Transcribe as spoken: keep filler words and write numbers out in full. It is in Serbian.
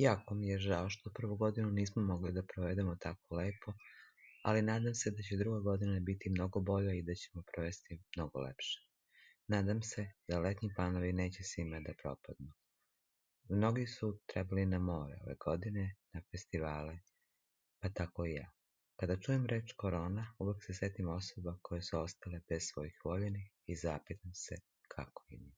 Jako mi je žao što prvu godinu nismo mogli da provedemo tako lepo, ali nadam se da će druga godina biti mnogo bolja i da ćemo provesti mnogo lepše. Nadam se da letnji planovi neće svima da propadnu. Mnogi su trebali na more ove godine, na festivale, pa tako i ja. Kada čujem reč korona, uvek se setim osoba koje su ostale bez svojih voljenih i zapitam se kako im je.